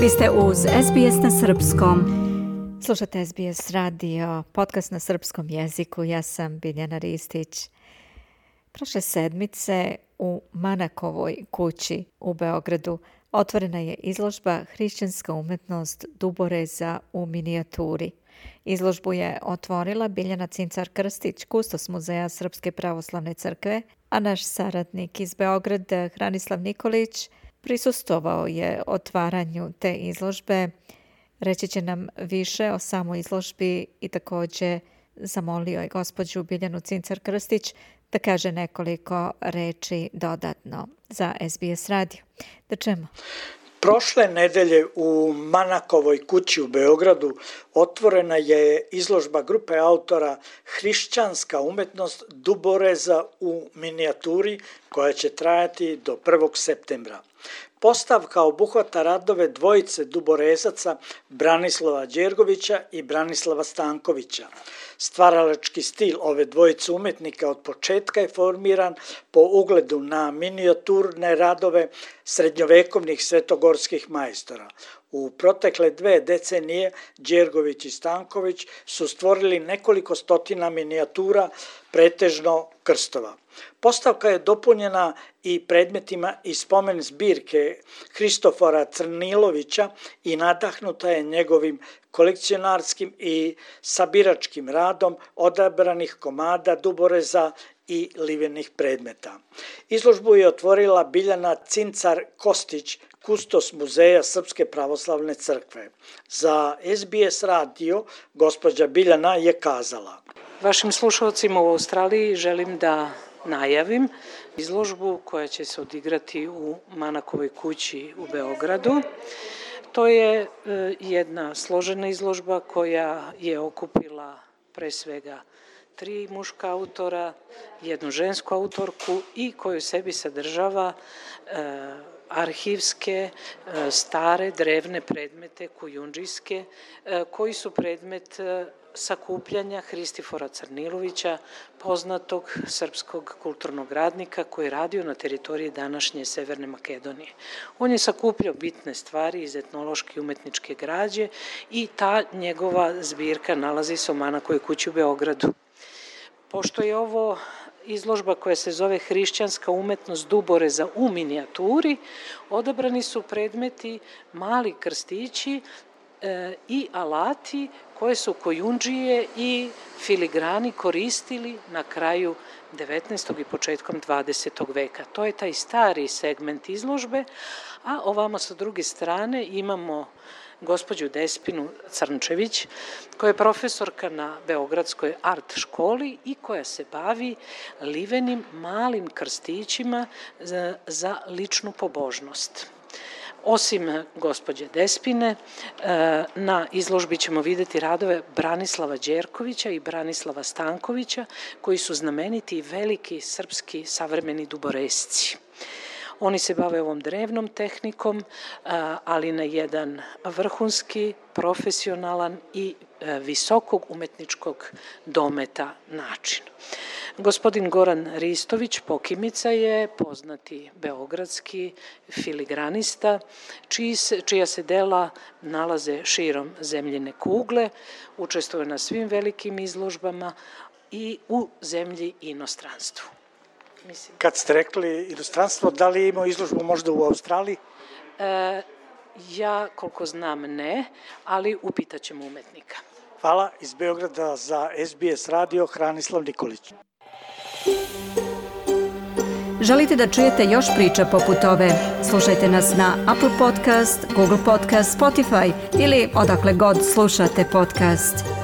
Vi ste uz SBS na srpskom. Slušate SBS radio, podcast na srpskom jeziku. Ja sam Biljana Ristić. Prošle sedmice u Manakovoj kući u Beogradu otvorena je izložba Hrišćanska umetnost Duboreza u minijaturi. Izložbu je otvorila Biljana Cincar-Krstić, kustos Muzeja Srpske pravoslavne crkve, a naš saradnik iz Beograda, Hranislav Nikolić, prisustvovao je otvaranju te izložbe. Reći će nam više o samoj izložbi i također zamolio je gospođu Biljanu Cincar-Krstić da kaže nekoliko reči dodatno za SBS radio. Da čujemo. Prošle nedelje u Manakovoj kući u Beogradu otvorena je izložba grupe autora Hrišćanska umetnost Duboreza u minijaturi koja će trajati do 1. septembra. Postavka obuhvata radove dvojice Duborezaca Branislava Đergovića i Branislava Stankovića. Stvaralački stil ove dvojice umetnika od početka je formiran po ugledu na minijaturne radove srednjovekovnih svetogorskih majstora. U protekle 2 decenije Đergović i Stanković su stvorili nekoliko stotina minijatura, pretežno krstova. Postavka je dopunjena i predmetima iz spomen zbirke Hristofora Crnilovića i nadahnuta je njegovim kolekcionarskim i sabiračkim radom odabranih komada duboreza i livenih predmeta. Izložbu je otvorila Biljana Cincar-Krstić, kustos Muzeja Srpske pravoslavne crkve. Za SBS radio gospođa Biljana je kazala: Vašim slušalcima u Australiji želim da najavim izložbu koja će se odigrati u Manakovoj kući u Beogradu. To je jedna složena izložba koja je okupila pre svega 3 muška autora, jednu žensku autorku i koju sebi sadržava arhivske, stare, drevne predmete, kujundžijske, koji su predmet sakupljanja Hristifora Crnilovića, poznatog srpskog kulturnog radnika koji je radio na teritoriji današnje Severne Makedonije. On je sakupljao bitne stvari iz etnološke i umetničke građe i ta njegova zbirka nalazi se u Manakovoj kući u Beogradu. Pošto je ovo izložba koja se zove Hrišćanska umetnost Duboreza u minijaturi, odabrani su predmeti, mali krstići i alati koje su kojundžije i filigrani koristili na kraju 19. i početkom 20. veka. To je taj stari segment izložbe, a ovamo sa druge strane imamo gospođu Despinu Crnčević, koja je profesorka na Beogradskoj art školi i koja se bavi livenim malim krstićima za ličnu pobožnost. Osim gospođe Despine, na izložbi ćemo vidjeti radove Branislava Đerkovića i Branislava Stankovića, koji su znameniti i veliki srpski savremeni duboresci. Oni se bave ovom drevnom tehnikom, ali na jedan vrhunski, profesionalan i visokog umetničkog dometa način. Gospodin Goran Ristović Pokimica je poznati beogradski filigranista, čija se dela nalaze širom zemljine kugle, učestvuje na svim velikim izložbama i u zemlji i inostranstvu. Kad ste rekli inostranstvo, da li ima izložbu možda u Australiji? Ja, koliko znam, ne, ali upitat ćemo umetnika. Hvala. Iz Beograda za SBS radio Hranislav Nikolić. Želite da čujete još priča poput ove? Slušajte nas na Apple Podcast, Google Podcast, Spotify ili odakle god slušate podcast.